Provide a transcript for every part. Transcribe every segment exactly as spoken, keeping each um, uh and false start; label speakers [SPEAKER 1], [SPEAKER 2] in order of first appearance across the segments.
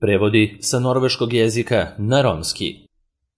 [SPEAKER 1] Prevodi sa norveškog jezika na romski.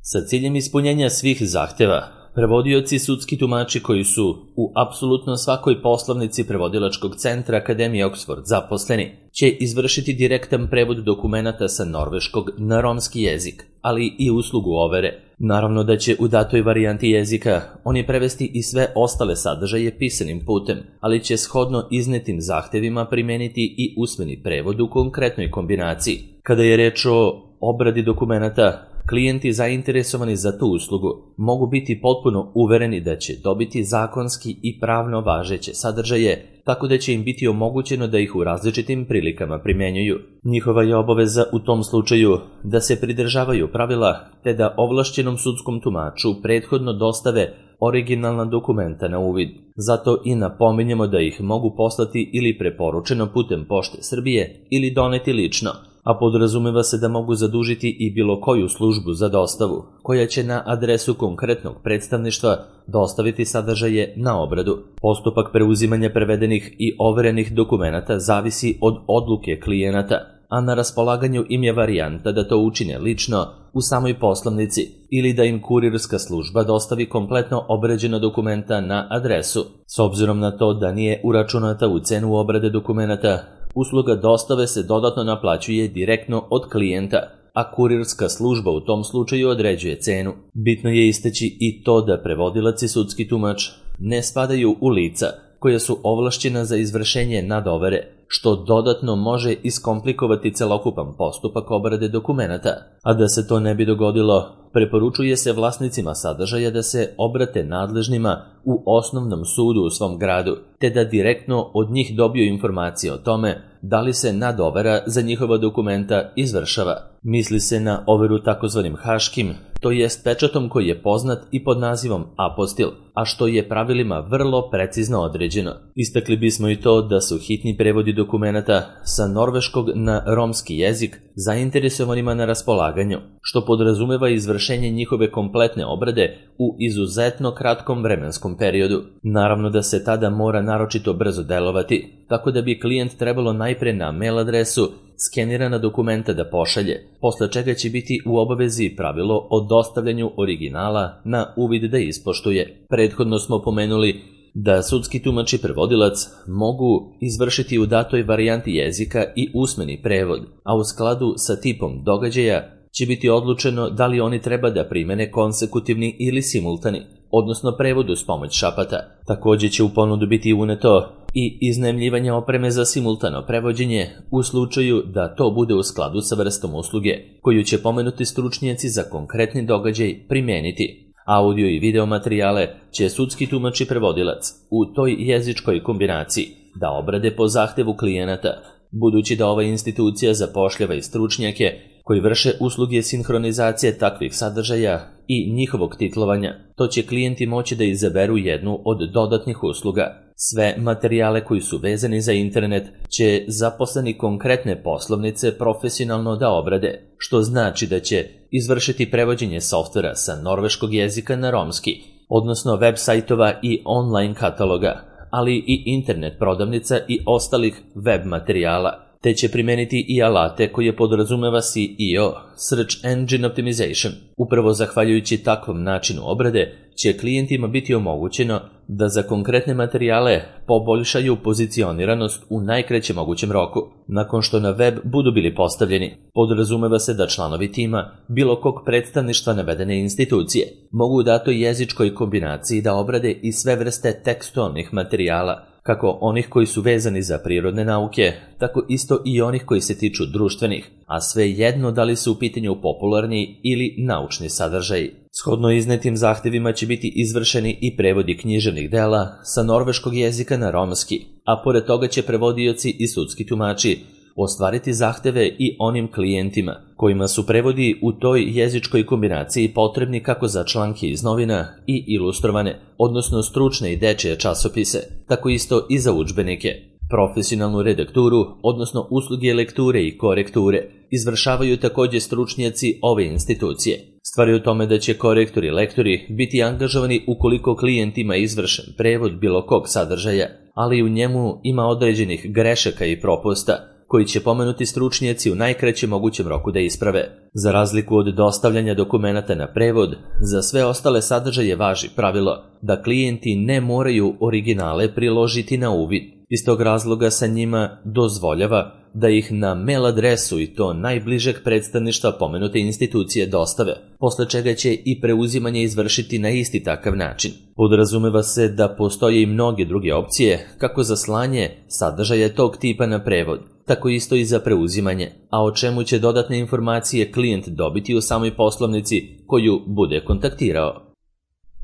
[SPEAKER 1] Sa ciljem ispunjenja svih zahteva, prevodioci sudski tumači koji su u apsolutno svakoj poslovnici prevodilačkog centra Akademije Oxford zaposleni će izvršiti direktan prevod dokumenata sa norveškog na romski jezik, ali i uslugu overe. Naravno da će u datoj varijanti jezika oni prevesti i sve ostale sadržaje pisanim putem, ali će shodno iznetim zahtevima primeniti i usmeni prevod u konkretnoj kombinaciji. Kada je reč o obradi dokumenata, klijenti zainteresovani za tu uslugu mogu biti potpuno uvereni da će dobiti zakonski i pravno važeće sadržaje, tako da će im biti omogućeno da ih u različitim prilikama primenjuju. Njihova je obaveza u tom slučaju da se pridržavaju pravila te da ovlašćenom sudskom tumaču prethodno dostave originalna dokumenta na uvid. Zato i napominjemo da ih mogu poslati ili preporučeno putem Pošte Srbije ili doneti lično, a podrazumeva se da mogu zadužiti i bilo koju službu za dostavu, koja će na adresu konkretnog predstavništva dostaviti sadržaje na obradu. Postupak preuzimanja prevedenih i overenih dokumenata zavisi od odluke klijenata, a na raspolaganju im je varijanta da to učine lično u samoj poslovnici ili da im kurirska služba dostavi kompletno obrađena dokumenta na adresu. S obzirom na to da nije uračunata u cenu obrade dokumenata, usluga dostave se dodatno naplaćuje direktno od klijenta, a kurirska služba u tom slučaju određuje cenu. Bitno je istaći i to da prevodilac i sudski tumač ne spadaju u lica koja su ovlašćena za izvršenje nadovere, što dodatno može iskomplikovati celokupan postupak obrade dokumenata. A da se to ne bi dogodilo, preporučuje se vlasnicima sadržaja da se obrate nadležnima u osnovnom sudu u svom gradu, te da direktno od njih dobiju informacije o tome da li se nadovera za njihova dokumenta izvršava. Misli se na overu takozvanim haškim, to jest pečatom koji je poznat i pod nazivom apostil, a što je pravilima vrlo precizno određeno. Istakli bismo i to da su hitni prevodi dokumenata sa norveškog na romski jezik zainteresovanima na raspolaganju, što podrazumeva izvršenje njihove kompletne obrade u izuzetno kratkom vremenskom periodu. Naravno da se tada mora naročito brzo delovati, tako da bi klijent trebalo najpre na mail adresu skenirana dokumenta da pošalje, posle čega će biti u obavezi pravilo o dostavljanju originala na uvid da ispoštuje. Prethodno smo pomenuli da sudski tumač i prevodilac mogu izvršiti u datoj varijanti jezika i usmeni prevod, a u skladu sa tipom događaja će biti odlučeno da li oni treba da primene konsekutivni ili simultani, odnosno prevod uz pomoć šapata. Također će u ponudu biti uneto i iznajmljivanje opreme za simultano prevođenje u slučaju da to bude u skladu sa vrstom usluge, koju će pomenuti stručnjaci za konkretni događaj primeniti. Audio i video materijale će sudski tumač i prevodilac u toj jezičkoj kombinaciji da obrade po zahtevu klijenata, budući da ova institucija zapošljava i stručnjake koji vrše usluge sinhronizacije takvih sadržaja i njihovog titlovanja. To će klijenti moći da izaberu jednu od dodatnih usluga. Sve materijale koji su vezani za internet će zaposleni konkretne poslovnice profesionalno da obrade, što znači da će izvršiti prevođenje softvera sa norveškog jezika na romski, odnosno web sajtova i online kataloga, ali i internet prodavnica i ostalih web materijala, te će primeniti i alate koje podrazumeva S E O, Search Engine Optimization. Upravo zahvaljujući takvom načinu obrade će klijentima biti omogućeno da za konkretne materijale poboljšaju pozicioniranost u najkraćem mogućem roku. Nakon što na web budu bili postavljeni, podrazumeva se da članovi tima bilo kog predstavništva navedene institucije mogu u datoj jezičkoj kombinaciji da obrade i sve vrste tekstualnih materijala, kako onih koji su vezani za prirodne nauke, tako isto i onih koji se tiču društvenih, a sve jedno da li su u pitanju popularni ili naučni sadržaji. Shodno iznetim zahtevima će biti izvršeni i prevodi književnih dela sa norveškog jezika na romski, a pored toga će prevodioci i sudski tumači ostvariti zahteve i onim klijentima kojima su prevodi u toj jezičkoj kombinaciji potrebni kako za članke iz novina i ilustrovane, odnosno stručne i dečije časopise, tako isto i za udžbenike. Profesionalnu redakturu, odnosno usluge lekture i korekture, izvršavaju također stručnjaci ove institucije. Stvar je u tome da će korektori i lektori biti angažovani ukoliko klijent ima izvršen prevod bilo kog sadržaja, ali u njemu ima određenih grešaka i propusta koji će pomenuti stručnjaci u najkraćem mogućem roku da isprave. Za razliku od dostavljanja dokumenata na prevod, za sve ostale sadržaje važi pravilo da klijenti ne moraju originale priložiti na uvid. Iz tog razloga sa njima dozvoljava da ih na mail adresu i to najbližeg predstavništva pomenute institucije dostave, posle čega će i preuzimanje izvršiti na isti takav način. Podrazumeva se da postoje i mnoge druge opcije kako za slanje sadržaja tog tipa na prevod, tako isto i za preuzimanje, a o čemu će dodatne informacije klijent dobiti u samoj poslovnici koju bude kontaktirao.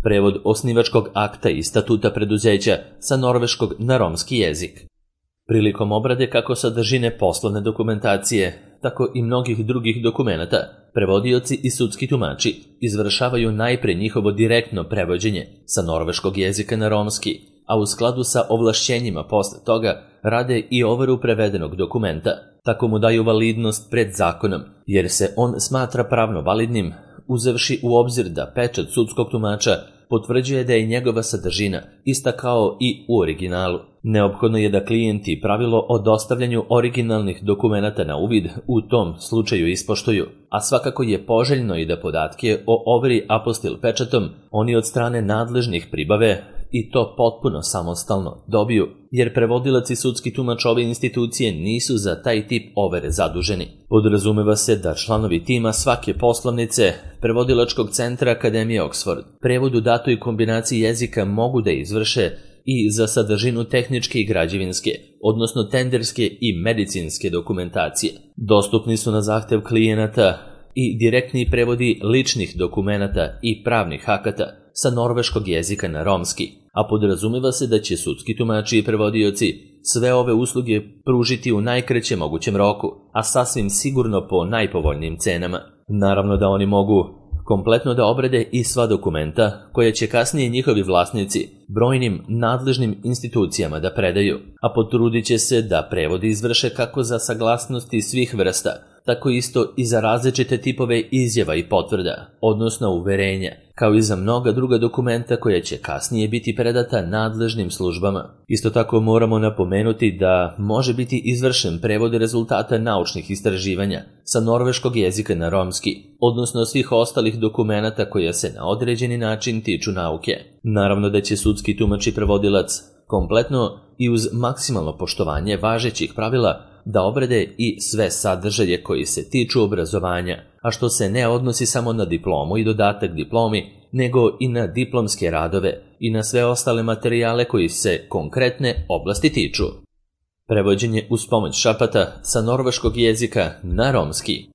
[SPEAKER 1] Prevod osnivačkog akta i statuta preduzeća sa norveškog na romski jezik. Prilikom obrade kako sadržine poslovne dokumentacije, tako i mnogih drugih dokumenata, prevodioci i sudski tumači izvršavaju najpre njihovo direktno prevođenje sa norveškog jezika na romski, a u skladu sa ovlašćenjima posle toga rade i overu prevedenog dokumenta. Tako mu daju validnost pred zakonom, jer se on smatra pravno validnim, uzevši u obzir da pečat sudskog tumača potvrđuje da je njegova sadržina ista kao i u originalu. Neophodno je da klijenti pravilo o dostavljanju originalnih dokumenata na uvid u tom slučaju ispoštuju, a svakako je poželjno i da podatke o overi apostil pečatom oni od strane nadležnih pribave i to potpuno samostalno dobiju, jer prevodilac i sudski tumač ove institucije nisu za taj tip overe zaduženi. Podrazumeva se da članovi tima svake poslovnice prevodilačkog centra Akademije Oxford prevod u datoj kombinaciji jezika mogu da izvrše i za sadržinu tehničke i građevinske, odnosno tenderske i medicinske dokumentacije. Dostupni su na zahtev klijenata i direktni prevodi ličnih dokumenata i pravnih akata sa norveškog jezika na romski, a podrazumeva se da će sudski tumači i prevodioci sve ove usluge pružiti u najkraćem mogućem roku, a sasvim sigurno po najpovoljnijim cenama. Naravno da oni mogu kompletno da obrade i sva dokumenta koje će kasnije njihovi vlasnici brojnim nadležnim institucijama da predaju, a potrudit će se da prevodi izvrše kako za saglasnosti svih vrsta, tako isto i za različite tipove izjava i potvrda, odnosno uverenja, kao i za mnoga druga dokumenta koja će kasnije biti predata nadležnim službama. Isto tako moramo napomenuti da može biti izvršen prevod rezultata naučnih istraživanja sa norveškog jezika na romski, odnosno svih ostalih dokumenata koja se na određeni način tiču nauke. Naravno da će sudski tumač i prevodilac kompletno i uz maksimalno poštovanje važećih pravila da obrade i sve sadržaje koji se tiču obrazovanja, a što se ne odnosi samo na diplomu i dodatak diplomi, nego i na diplomske radove i na sve ostale materijale koji se konkretne oblasti tiču. Prevođenje uz pomoć šapata sa norveškog jezika na romski.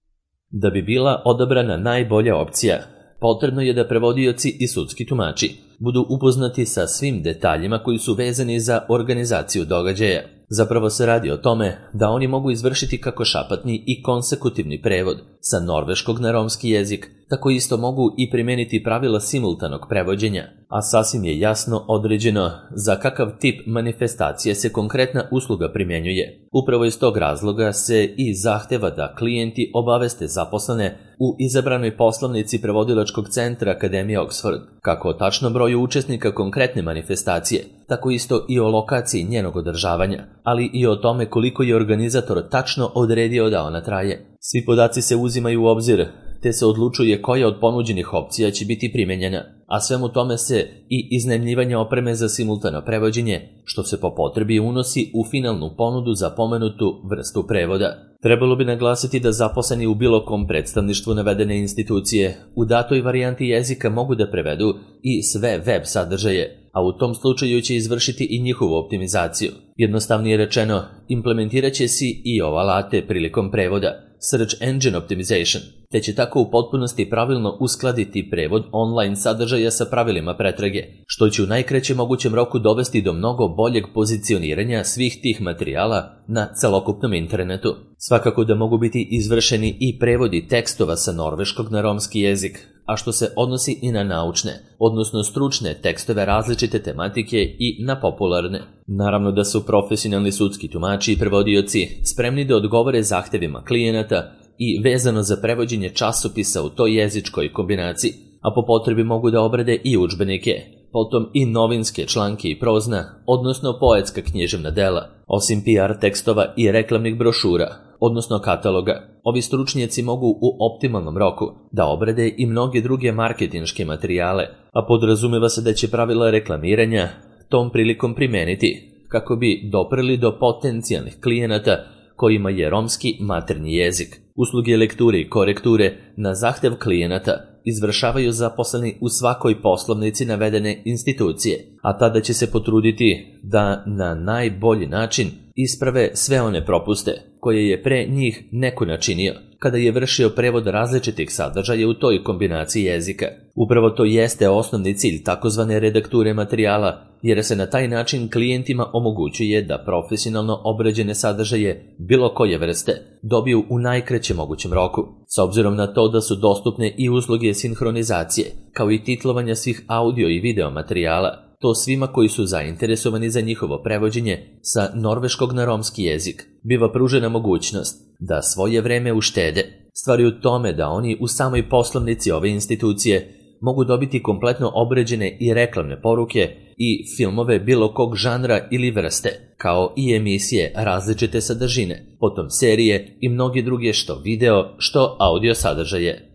[SPEAKER 1] Da bi bila odabrana najbolja opcija, potrebno je da prevodioci i sudski tumači budu upoznati sa svim detaljima koji su vezani za organizaciju događaja. Zapravo se radi o tome da oni mogu izvršiti kako šapatni i konsekutivni prevod sa norveškog na romski jezik, tako isto mogu i primeniti pravila simultanog prevođenja, a sasvim je jasno određeno za kakav tip manifestacije se konkretna usluga primjenjuje. Upravo iz tog razloga se i zahteva da klijenti obaveste zaposlene u izabranoj poslovnici prevodilačkog centra Akademije Oxford, kako o tačnom broju učesnika konkretne manifestacije, tako isto i o lokaciji njenog održavanja, ali i o tome koliko je organizator tačno odredio da ona traje. Svi podaci se uzimaju u obzir, te se odlučuje koja od ponuđenih opcija će biti primenjena, a svemu tome se i iznajmljivanje opreme za simultano prevođenje, što se po potrebi unosi u finalnu ponudu za pomenutu vrstu prevoda. Trebalo bi naglasiti da zaposleni u bilo kom predstavništvu navedene institucije u datoj varijanti jezika mogu da prevedu i sve web sadržaje, a u tom slučaju će izvršiti i njihovu optimizaciju. Jednostavnije rečeno, implementirat će si i ove alate prilikom prevoda, Search Engine Optimization, te će tako u potpunosti pravilno uskladiti prevod online sadržaja sa pravilima pretrage, što će u najkraćem mogućem roku dovesti do mnogo boljeg pozicioniranja svih tih materijala na celokupnom internetu. Svakako da mogu biti izvršeni i prevodi tekstova sa norveškog na romski jezik, a što se odnosi i na naučne, odnosno stručne tekstove različite tematike i na popularne. Naravno da su profesionalni sudski tumači i prevodioci spremni da odgovore zahtevima klijenata i vezano za prevođenje časopisa u toj jezičkoj kombinaciji, a po potrebi mogu da obrade i udžbenike, potom i novinske članke i prozna, odnosno poetska književna dela, osim P R tekstova i reklamnih brošura, odnosno kataloga. Ovi stručnjaci mogu u optimalnom roku da obrade i mnoge druge marketinške materijale, a podrazumeva se da će pravila reklamiranja tom prilikom primeniti kako bi doprli do potencijalnih klijenata kojima je romski maternji jezik. Usluge lekture i korekture na zahtev klijenata izvršavaju zaposleni u svakoj poslovnici navedene institucije, a tada će se potruditi da na najbolji način isprave sve one propuste koje je pre njih neko načinio kada je vršio prevod različitih sadržaja u toj kombinaciji jezika. Upravo to jeste osnovni cilj takozvane redakture materijala, jer se na taj način klijentima omogućuje da profesionalno obrađene sadržaje bilo koje vrste dobiju u najkraćem mogućem roku. S obzirom na to da su dostupne i usluge sinhronizacije, kao i titlovanja svih audio i video materijala, to svima koji su zainteresovani za njihovo prevođenje sa norveškog na romski jezik biva pružena mogućnost da svoje vreme uštede. Stvar je u tome da oni u samoj poslovnici ove institucije mogu dobiti kompletno obrađene i reklamne poruke i filmove bilo kog žanra ili vrste, kao i emisije različite sadržine, potom serije i mnoge druge što video, što audio sadržaje.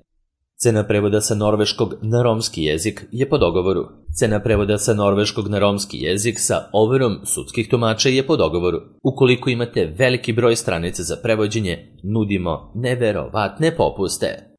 [SPEAKER 1] Cena prevoda sa norveškog na romski jezik je po dogovoru. Cena prevoda sa norveškog na romski jezik sa overom sudskih tumača je po dogovoru. Ukoliko imate veliki broj stranica za prevođenje, nudimo neverovatne popuste.